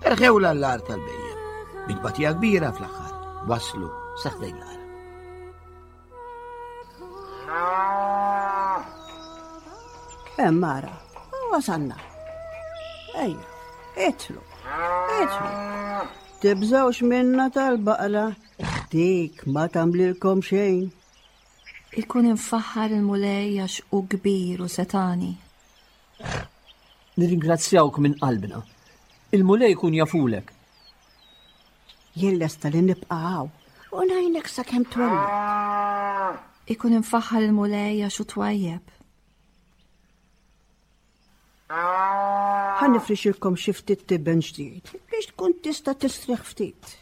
erħew l-allar tal-bejjem. Bitbatija kbira fl-aħħar waslu saħdejn l-ar. Hemm ara, wasalna. Ejja, itlu, itlu. Tibżgħux minna tal-baqra, dik ma tagħmlilkom xejn. Ikun imfaħħar il-Mulej għax hu kbir u setani. Nirringrazzjawk minn qalbna. Il-Mulej ikun jafulek. Jien lesta li nibqa' hawn u ngħinek sakemm twelled. Ikun imfaħħar il-Mulej għax hu twajjeb. Ħa nifrixilkom xi ftit tiben ġdid biex tkun tista' tistrieħ ftit.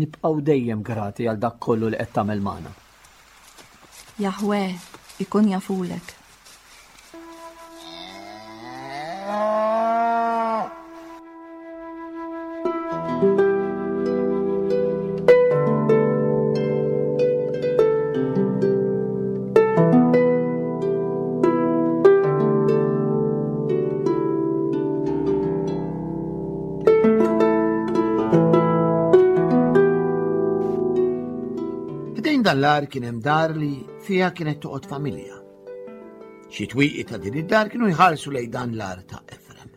Nibqgħu dejjem grati għal dak kollu li qed tagħmel magħna. Jaħwe ikun jafulek. Ħdejn dan l-ar kien hemm dar li fiha kienet toqgħod familja. Xi twieqi ta' din id-dar kienu jħarsu lejn dan l-ar ta' Efrem.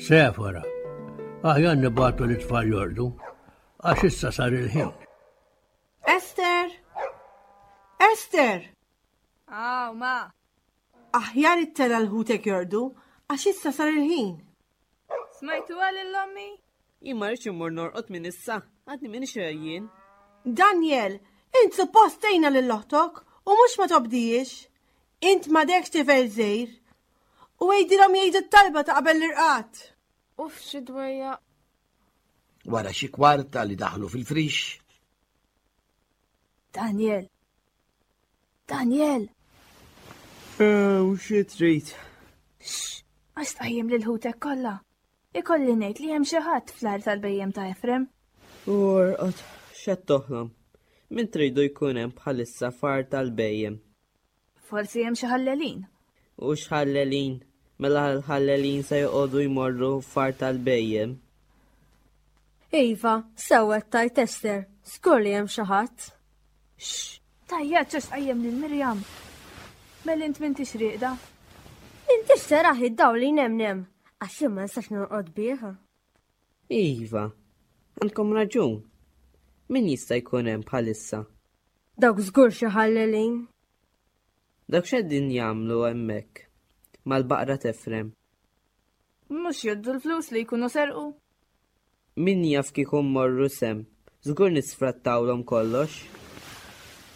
Sefora, aħjar nibatu li tfal jordu, għax issa sar il-ħin. Ester! Ester! Aw, ma! Aħjar ittela l-ħutek jordu, għax issa sar il-ħin. Smajtu għal l-ommi? Jien ma rridx immur norqod minn issa, għadni minn xejjien. Daniel, int suppost tgħinha lil oħtok u mhux ma tobdijiex. Int m'għadekx tifel żgħir. U għidilhom jgħidu t-talba ta' qabel l-irqad. Uff, xi dwejja. Wara xi kwarta li daħlu fil-frix. Daniel! Daniel! U xi trid? Xx, għax tqajjem lil ħutek kollha. Ikolli ngħid li hemm xi ħadd fl-għar tal-bejjem ta' Efrem. U orqod, x'qed toħlom? Min tridu jkun hemm bħalissa far tal-bejjem? Forsi hemm xi ħallelin. U x'ħallelin? Mela l-ħallelin se joqogħdu jmorru far tal-bejjem. Iva, sew qed tgħid Ester, żgur li hemm xi ħadd. Xx! Tajja ċax qajjem lil Mirjam. Mel int m'intix rieqda. Intix taraħ id-dawl li nemnem, għax jien ma nistax norqod bih. Iva, għandkom raġun. Min jista' jkun hemm bħalissa? Dawk żgur xi ħallelin. Dawk x'qegħdin jagħmlu hemmhekk mal-baqra t'Efrem? Mhux jgħoddu l-flus li jkunu serqu? Min jaf kieku mmorru s'hemm, żgur nisfrattawlhom kollox.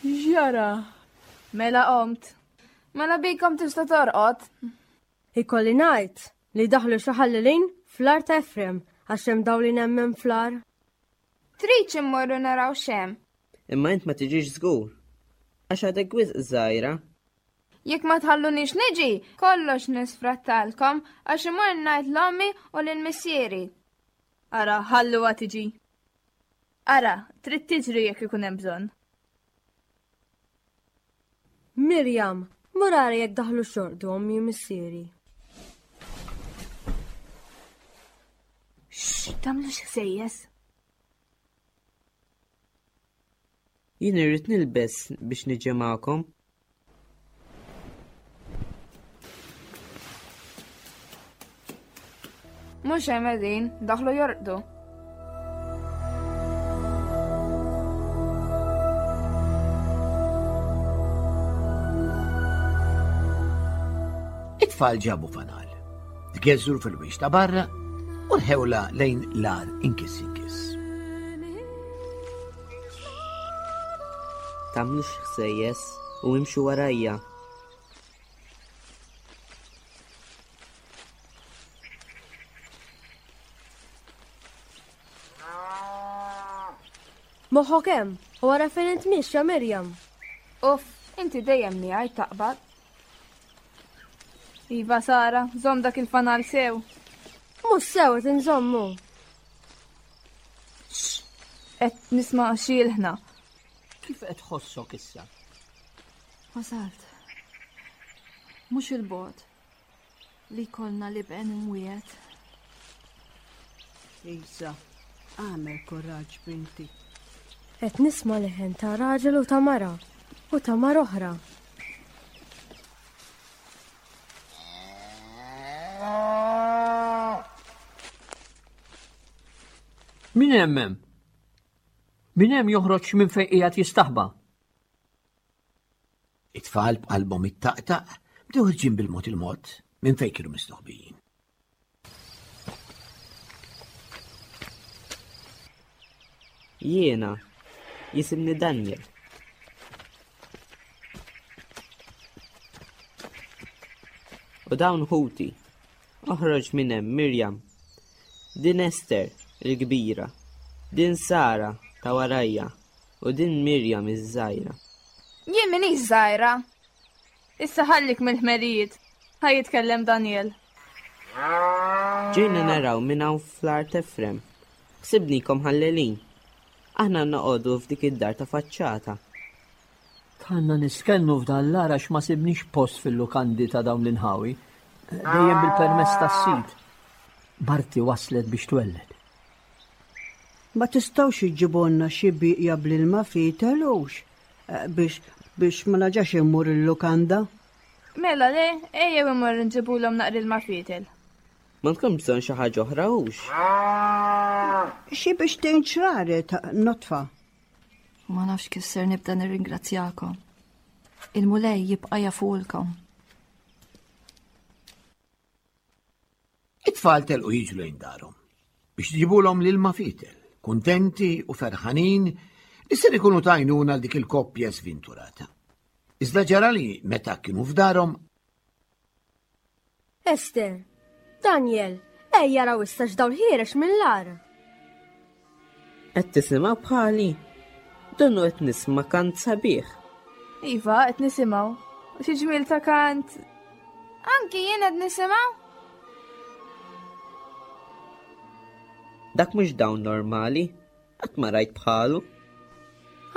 X'ġara? Mela qomt. Mela bikom tista' torqod. Ikolli ngħid li daħlu xi ħallelin fl-għar ta' Efrem għax hemm dawl inemmen fl-għar. Tridx immorru naraw x'hemm? Imma int ma tiġix żgur. Għax għadek wisq żgħira. Jekk ma tħallunix niġi, kollox nisfrattalkom għax imur ngħid l-ommi u lil missieri. Ara, ħalluha tiġi. Ara, trid tiġri jekk ikun hemm bżonn. Mirjam, mur ara jekk daħlu xorqdu ommi u missieri. Xx, tagħmlux ħsejjes. Jien irrid nilbes biex niġi magħkom. Mhux hemm qegħdin, daħlu jorqdu. It-tfal ġabu fanal, tgeżżru fil-wiex ta' barra u rħewla lejn l-għar inkiss inkiss. Tagħmlux ħsejjes u imxu warajja. Moħħok hemm, u ara fejn int miexja Mirjam. Uff, inti dejjem miegħi taqbad. Iva Sara, żomm dak il-fanal sew. Mhux sew qed inżommu. Qed nisma' xi ilħna. Kif qed tħossok issa? Wasalt. Mhux il-bogħod li jkollna l-iben imwiegħed. Isa, għamel kuraġġ binti. Qed nisma' leħen ta' raġel u ta' mara u ta' mara oħra. Min hemm hemm? Min hemm joħroġ minn fejn qiegħed jistaħba? It-tfal b'qalbhom ittaqtaq bdew ħirġin bil-mod il-mod minn fejn kienu mistoħbijin. Jiena jisimni Daniel. U dawn ħuti. Oħroġ minn hemm Mirjam. Din Ester, il-kbira. Din Sara ta' warajja u din Mirjam iż-żgħira. Jien minix żgħira. Issa ħallik mill-ħmerijiet. Ħa jitkellem Daniel. Ġejna naraw minn hawn fl-art Efrem. Ħsibnikom ħallelin. Aħna noqogħdu f'dik id-dar ta' faċċata. Dħalna nistkennu f'dan l-għar għax ma sibniex post fil-lukandi ta' dawn l-inħawi, dejjem bil-permess tas-sid. Marti waslet biex twelled. Ma tistgħux iġġibulna xi bieqja bl-ilma fietel hux? Eh, biex biex ma naġax immur il-lukanda. Mela le, ejjew immorru nġibulhom naqra ilma fietel. M'għandkom bżonn xi ħaġa oħra hux? Xi biex tgħin ċraret notfa. Ma nafx kif ser nibda nirringrazzjakom. Il-Mulej jibqa' jafulkom. It-tfal telqu jiġru lejn darhom biex jġibulhom l-ilma fitel, kuntenti u ferħanin li ser ikunu tajnuna għal dik il-koppja svinturata. Iżda ġara li meta kienu f'darhom Ester, Daniel, ejja raw issa x'dawl ħiereġ mill-għar. Qed tisimgħu bħali? Donnu qed nisma' kant sabiħ. Iva, qed nisimgħu. Xi ġmiel ta' kant. Anki jien qed nisimgħu? Dak mhux dawn normali, qatt ma rajt bħalu.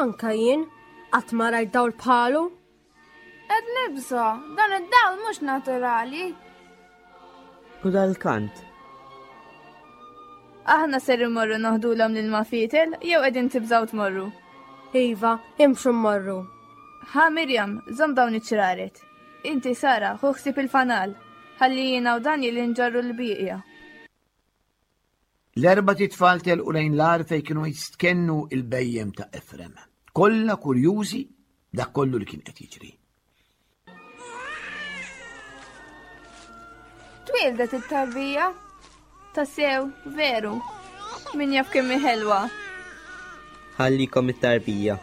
Anka jien, qatt ma rajt dawl bħalu. Qed nibża, dan id-dawl mhux naturali. U dal-kant. Aħna ser immorru noħdulhom lil mafitel jew qegħdin tibżgħu tmorru. Iva, imxu mmorru. Ħa Mirjam, żomm dawn iċ-ċraret. Inti Sara, ħu ħsieb il-fanal, ħalli jiena u Daniel inġorru l-bieqja. L-erbat itfal telqu lejn l-għar fejn kienu jistkennu il-bhejjem ta' Efrem, kollha kurjużi dak kollu li kien qed jiġri. Twieldet it-tarbija? Tassew, veru. Min jaf kemm hi ħelwa. Ħallikom it-tarbija.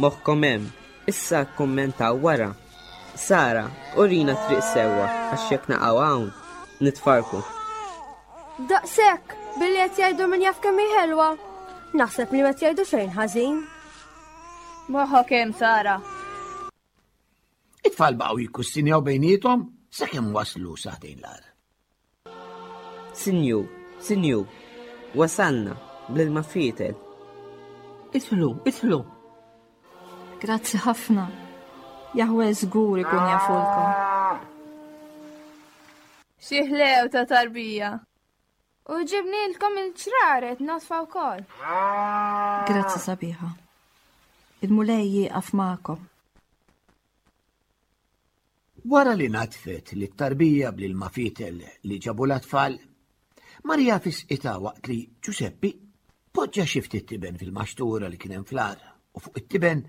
Moħħkom hemm. Issa kkummentaw wara. Sara, urina triq sewwa għax jekk naqgħu hawn, nitfarku. Daqshekk, billi qed jgħidu min jaf kemm hi ħelwa. Naħseb li ma jgħidu xejn ħażin. Moħħok hemm, Sara. It-tfal baqgħu jikkustinjaw bejniethom sakemm waslu saħdejn l-għar. Sinjur, sinjur, wasalna bl-ilma fietel. Idħlu, idħlu. Grazzi ħafna. Jahwe żgur ikun jafulkom. Xi ħlew ta' tarbija. U ġibnilkom il-ċraret nodfa wkoll. Grazzi sabiħa. Il-Mulej jieqaf magħkom. Wara li nadfet lit-tarbija bl-ilma fietel li ġabu l-atfal, Marija fisqitha waqt li Ġuseppi poġġa xi ftit tiben fil-maxtura li kien hemm fl-għar u fuq it-tiben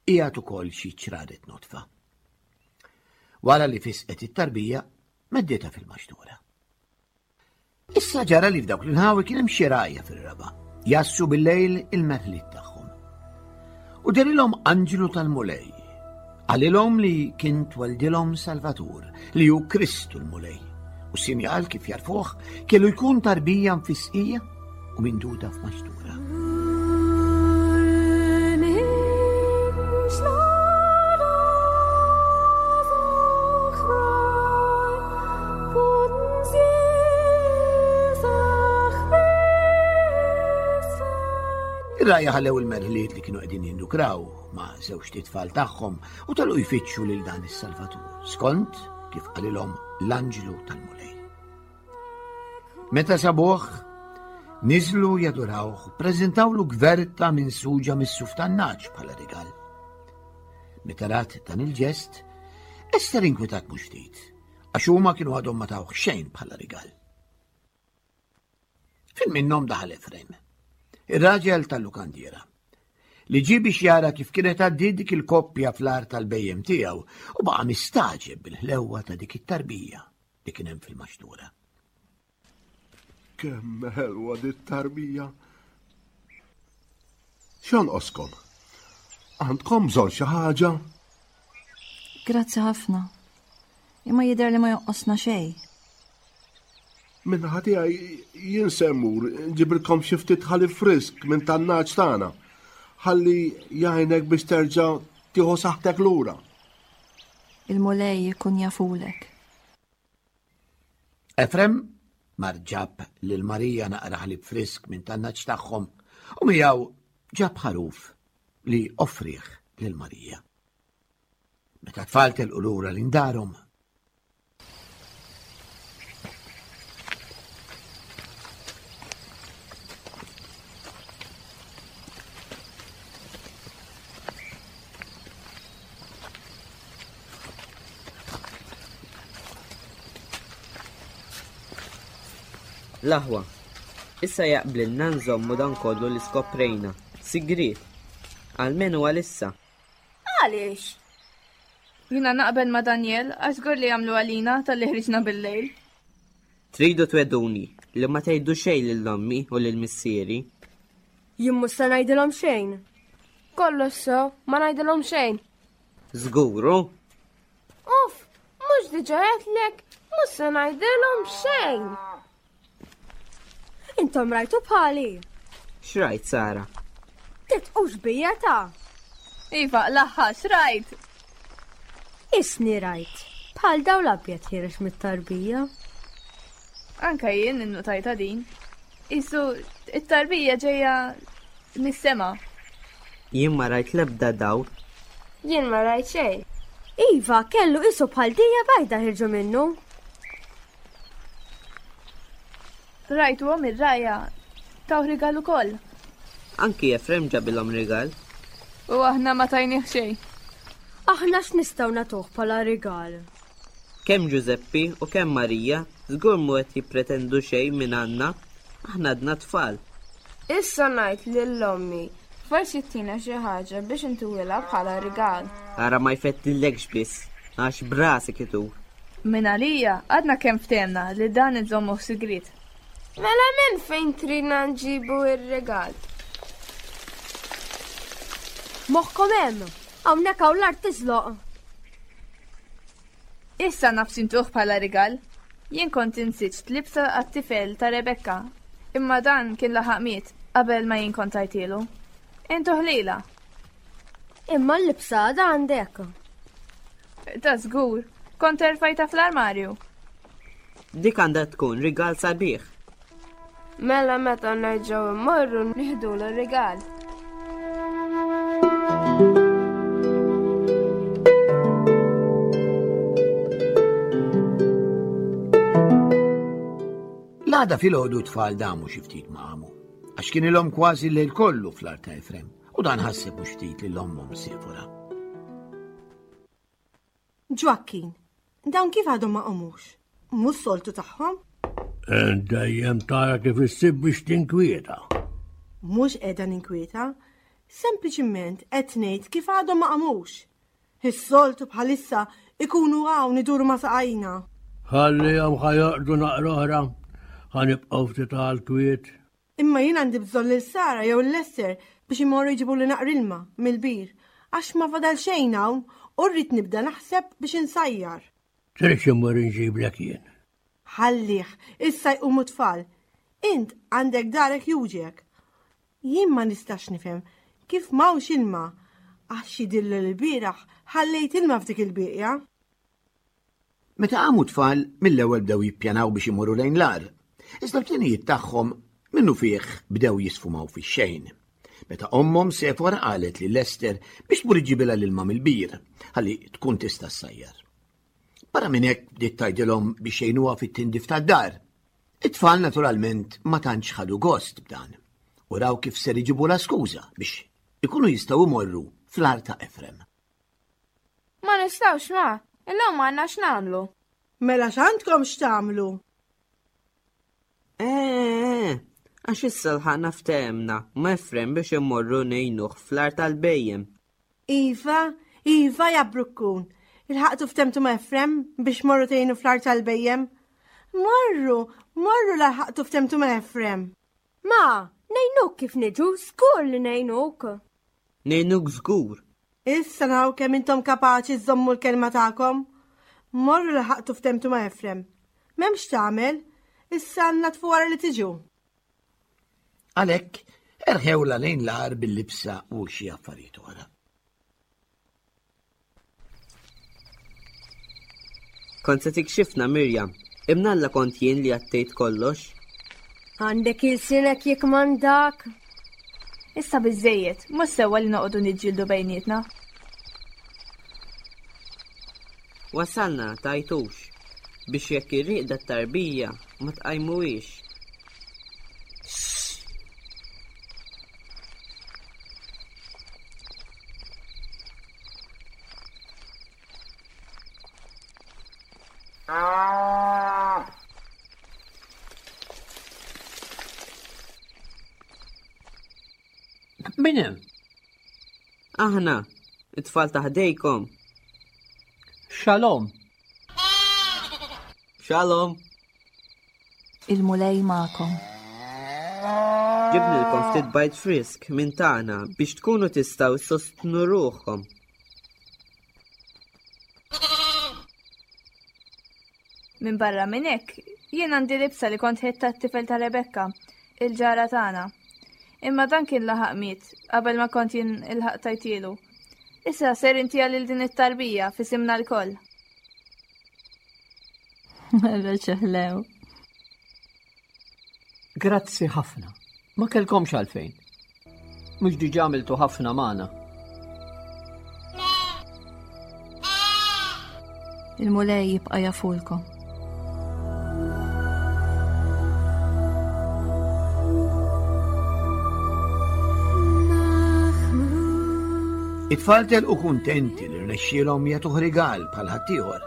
qiegħed ukoll xi ċraret nodfa. Wara li fisqet it-tarbija, medditha fil-maxtura. Issa ġara li f'dawk l-inħawi kien hemm xi rgħajja fir-raba', jassu bil-lejl il-merħliet tagħhom. U derilhom anġlu tal-Mulej. Qalilhom li kien tweldilhom Salvatur, li hu Kristu l-Mulej. U sinjal kif jarfuh kellu jkun tarbija mfisqija u minduda f'maxtura. Ir-rgħajja ħallew il-merħliet li kienu qegħdin jindukraw ma' żewġt itfal tagħhom u telqu jfittxu lil dan is-Salvatur, skont kif qalilhom l-anġlu tal-Mulej. Meta sabuh, niżlu jadurawh, preżentawlu gverta minn suġa mis-suf tan-naċ bħala rigal. Meta rat dan il-ġest, Ester inkwetat mhux ftit, għax huma kienu għadhom ma tawh xejn bħala rigal. Fin minnhom daħal Efrem, ir-raġel tal-lukandiera, li ġie biex jara kif kienet għaddiet dik il-koppja fl-art tal-bejjem tiegħu u baqa' mistagħġeb bil-ħlewwa ta' dik it-tarbija li kien hemm fil-maxtura. Kemm ħelwa dit tarbija. X'jonqoskom? Għandkom bżonn xi ħaġa? Grazzi ħafna. Imma jidher li ma jonqosna xejn. Minnaħa tiegħi jien se mmur nġibilkom xi ftit ħalib frisk minn tan-naġ tagħna. Ħalli jgħinek biex terġa' tieħu saħħtek lura. Il-Mulej ikun jafulek. Efrem mar ġab lil Marija naqra ħalib frisk minn tan-naġ tagħhom u miegħu ġab ħaruf li offrih lil Marija. Meta tfal telqu lura lejn darhom, L-aħwa, issa jaqblilna nżommu dan kollu li skoprejna, sigriet, almenu għalissa. Għaliex? Jiena naqbel ma' Daniel għax żgur li jagħmlu għalina talli ħriġna bil-lejl. Tridu twegħduni li ma tgħidu xejn lil ommi u lil missieri? Jien mhux se ngħidilhom xejn. Kollox sew, ma ngħidilhom xejn. Żgur, hu? Uff, mhux diġà għedtlek, mhux se ngħidilhom xejn. Intom rajtu bħali. X'rajt, Sara? Titqux bija ta' Iva, l-aħħar, x'rajt? Isni rajt. Bħal daw l-abjad ħireġ mit-tarbija. Anka jien innutajta din. Isu, it-tarbija ġejja mis-sema. Jien ma rajt l-ebda dawl. Jien ma rajt xejn. Iva, kellu isu bħal dija bajda ħirġu minnu. Rajtuhom ir-rgħajja tawh rigal ukoll. Anki Efrem ġabilhom rigal. U aħna ma tajnih xejn. Aħna x'nistgħu nagħtuh bħala rigal? Kemm Ġużeppi u kemm Marija żgur mhu qed jippretendu xejn minn għandna, aħna għadna tfal. Issa ngħid lil ommi, forsi ttina xi ħaġa biex intuwilha bħala rigal. Ara ma jfettillekx biss, għax b'rasek itur. Minn għalija, għadna kemm ftehemna li dan inżommuh sigriet. Mela minn fejn tridna nġibu r-rigal? Moħħkom hemm, hawnhekk hawn l-art tiżloq. Issa naf x'intuh bħala rigal. Jien kont insiġt libsa għat-tifel ta' Rebekka, imma dan kien laħaq miet qabel ma jien kont tajtielu. Intuh lilha. Imma l-libsa għadha għandek. Ta' żgur, kont erfajta fl-armarju. Dik għandha tkun rigal sabiħ. Mela meta nerġgħu immorru nieħdulu r-rigal. L-għada filgħodu tfal damu xi ftit ma qamu, għax kien ilhom kważi l-lejl kollu fl-art ta' Efrem u dan ħasseb mhux ftit lil ommhom Sefora. Ġwakkin, dawn kif għadhom ma qomux? Mhux soltu tagħhom? Dejjem tara kif issib biex tinkwieta. Mhux qiegħda ninkwieta, sempliċiment qed ngħid kif għadhom ma qamux. Is-soltu bħalissa ikunu hawn iduru ma' saqajna. Ħallihom ħa jorqdu naqra oħra, ħa nibqgħu ftit għall-kwiet. Imma jien għandi bżonn lil Sara jew lil Ester biex imorru jġibuli naqra ilma mill-bir, għax ma fadal xejn hawn u rrid nibda naħseb biex insajjar. Tridx immur inġiblek jien. Ħallih, issa jqumu t-tfal. Int għandek darek juġek. Jien ma nistax nifhem kif m'hawnx ilma, għax jidhirli li lbieraħ ħallejt ilma f'dik il-bieqja. Meta qamu t-tfal, mill-ewwel bdew jippjanaw biex imorru lejn l-għar. Iżda l-pjanijiet tagħhom minnufih bdew jisfumaw fix-xejn. Meta ommhom Sefora qalet lil Ester biex tmur iġġibilha l-ilma mill-bir ħalli tkun tista' ssajjar. Barra minn hekk bdiet tgħidilhom biex jgħinuha fit-tindif tad-dar. It-tfal naturalment ma tantx ħadu gost b'dan u raw kif ser iġibulha skuża biex ikunu jistgħu jmorru fl-għar ta' Efrem. Ma nistgħux ma, illum għandna x'nagħmlu. Mela x'għandkom x'tagħmlu? Eh, għax issa lħaqna ftehemna ma' Efrem biex immorru ngħinuh fl-art tal-bhejjem. Iva, iva ja Brukkun. Ilħaqtu ftehmtu ma' Efrem biex morru tgħinu fl-art tal-bhejjem? Morru, morru la lħaqtu ftehmtu ma' Efrem. Ma, ngħinuk kif niġu, żgur li ngħinuk. Ngħinuk żgur. Issa naraw kemm intom kapaċi żżommu l-kelma tagħkom. Morru laħaqtu ftemtu ma' Efrem. M'hemmx tagħmel, issa natfu wara li tiġu. Għalhekk, erħewla lejn l-għar bil-libsa u xi affarijiet oħra. Kont se tikxifna Mirjam, imnalla kont jien li għattejt kollox. Għandek ilsinek jekk m'għandak. Issa biżżejjed, mhux sewwa li noqogħdu niġġieldu bejnietna. Wasalna tajtux biex jekk irriqda t-tarbija ma tqajmuhiex. Min hemm? Aħna, it-tfal ta' ħdejkom. Shalom. Shalom. Il-Mulej magħkom. Ġibnilkom ftit bajd frisk minn tagħna biex tkunu tistgħu ssostnu ruħkom. Minn barra minn hekk, jien għandi libsa li kont ħidt tat-tifel ta' Rebekka, il-ġara tagħna. Imma dan kien laħaq miet qabel ma kont jien ilħaq tajtielu. Issa ser intiha lil din it-tarbija f'isimna lkoll. Mela ċeħlew. Grazzi ħafna. Ma kellkomx għalfejn. Mhux diġà għamiltu ħafna magħna. Il-Mulej jibqa' jafulkom. It-tfal telqu kuntenti li rnexxielhom jagħtuh rigal bħal ħaddieħor.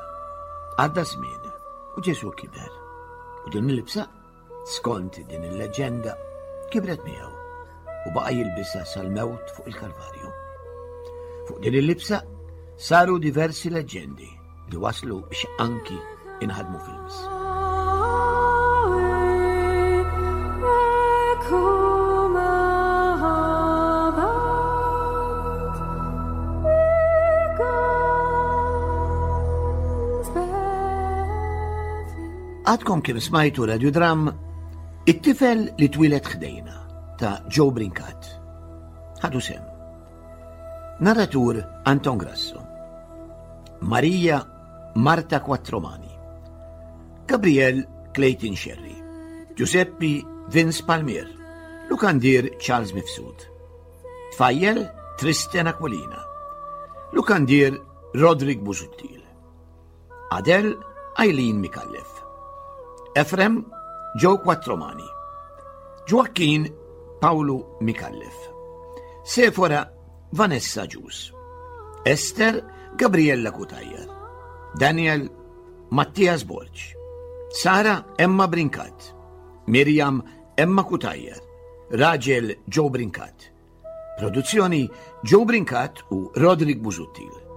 Għadda żmien u Ġesù kiber. U din il-libsa, skont din il-leġġenda, kibret miegħu u baqa' jilbisha sal-mewt fuq il-Kalvarju. Fuq din il-libsa saru diversi leġġendi li waslu biex anki inħadmu films. Għadkom kif smajtu radiodram It-tifel li twilet ħdejna ta' Joe Brincat. Ħadu sem. Narratur Anton Grasso. Marija Marta Quattromani. Gabriel Clayton Sherry. Giuseppe Vince Palmier. Lukandier Charles Mifsud. Tfajjel Tristan Aquilina. Lukandier Rodrik Busuttil. Adel Eileen Mikallef. Efrem Joe Quattromani. Joaquin Paolo Mikallef. Sefora Vanessa Ġus. Esther Gabriella Cutajar. Daniel Mattias Borg. Sara Emma Brincat. Miriam Emma Cutajar. Raġel Joe Brincat. Produzzjoni Joe Brincat u Roderick Busuttil.